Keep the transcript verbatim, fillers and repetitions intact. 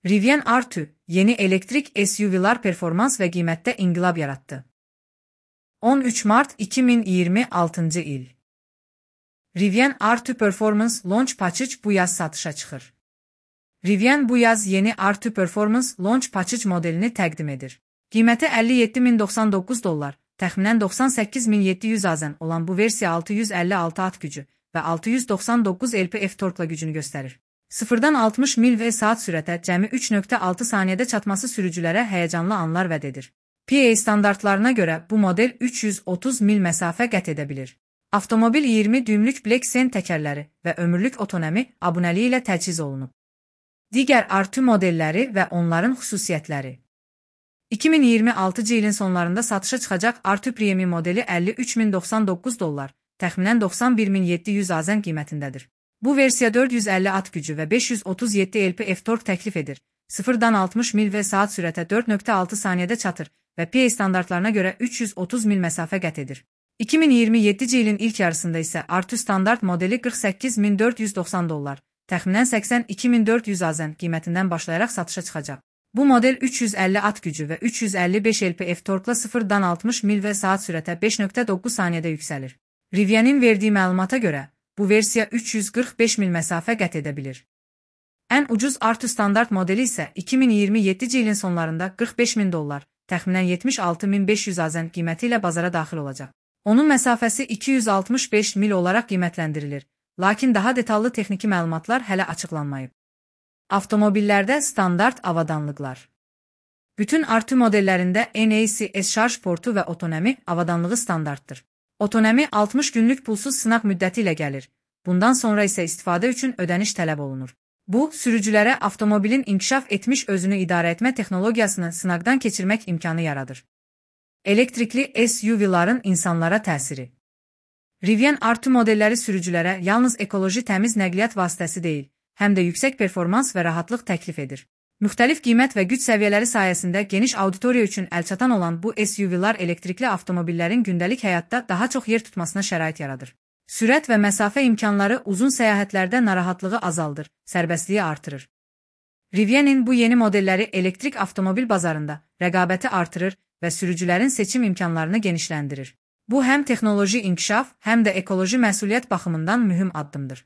Rivian R iki, yeni elektrik S U V'lar performans və qiymətdə inqilab yaratdı. on üç mart iki min iyirmi altıncı il. Rivian R iki Performance Launch Package bu yaz satışa çıxır. Rivian bu yaz yeni R iki Performance Launch Package modelini təqdim edir. Qiyməti əlli yeddi min doxsan doqquz dollar, təxminən doxsan səkkiz min yeddi yüz azən olan bu versiya altı yüz əlli altı at gücü və altı yüz doxsan doqquz L P F torkla gücünü göstərir. sıfırdan altmış mil və saat sürətə cəmi üç nöqtə altı saniyədə çatması sürücülərə həyəcanlı anlar vəd edir. P A standartlarına görə bu model üç yüz otuz mil məsafə qət edə bilir. Avtomobil iyirmi düymlük Black Sen təkərləri və ömürlük otonomi abunəliyi ilə təchiz olunub. Digər R iki modelləri və onların xüsusiyyətləri. iki min iyirmi altıncı ilin sonlarında satışa çıxacaq R iki Premium modeli əlli üç min doxsan doqquz dollar, təxminən doxsan bir min yeddi yüz azən qiymətindədir. Bu versiya dörd yüz əlli at gücü və beş yüz otuz yeddi L P F tork təklif edir. sıfırdan altmış mil və saat sürətə dörd nöqtə altı saniyədə çatır və P A standartlarına görə üç yüz otuz mil məsafə qət edir. iki min iyirmi yeddinci ilin ilk yarısında isə R iki standart modeli qırx səkkiz min dörd yüz doxsan dollar, təxminən səksən iki min dörd yüz azən qiymətindən başlayaraq satışa çıxacaq. Bu model üç yüz əlli at gücü və üç yüz əlli beş L P F torkla sıfırdan altmış mil və saat sürətə beş nöqtə doqquz saniyədə yüksəlir. Rivian'in verdiyi məlumata görə, bu versiya üç yüz qırx beş mil məsafə qət edə bilir. Ən ucuz R iki standart modeli isə iki min iyirmi yeddinci ilin sonlarında qırx beş min dollar, təxminən yetmiş altı min beş yüz azən qiyməti ilə bazara daxil olacaq. Onun məsafəsi iki yüz altmış beş mil olaraq qiymətləndirilir, lakin daha detallı texniki məlumatlar hələ açıqlanmayıb. Avtomobillərdə standart avadanlıqlar. Bütün R iki modellərində N A C S şarj portu və otonomi avadanlığı standartdır. Otonomi altmış günlük pulsuz sınaq müddəti ilə gəlir. Bundan sonra isə istifadə üçün ödəniş tələb olunur. Bu, sürücülərə avtomobilin inkişaf etmiş özünü idarə etmə texnologiyasını sınaqdan keçirmək imkanı yaradır. Elektrikli S U V'ların insanlara təsiri. Rivian R iki modelləri sürücülərə yalnız ekoloji təmiz nəqliyyat vasitəsi deyil, həm də yüksək performans və rahatlıq təklif edir. Müxtəlif qiymət və güc səviyyələri sayəsində geniş auditoriya üçün əlçatan olan bu S U V'lar elektrikli avtomobillərin gündəlik həyatda daha çox yer tutmasına şərait yaradır. Sürət və məsafə imkanları uzun səyahətlərdə narahatlığı azaldır, sərbəstliyi artırır. Rivian'in bu yeni modelləri elektrik avtomobil bazarında rəqabəti artırır və sürücülərin seçim imkanlarını genişləndirir. Bu həm texnoloji inkişaf, həm də ekoloji məsuliyyət baxımından mühüm addımdır.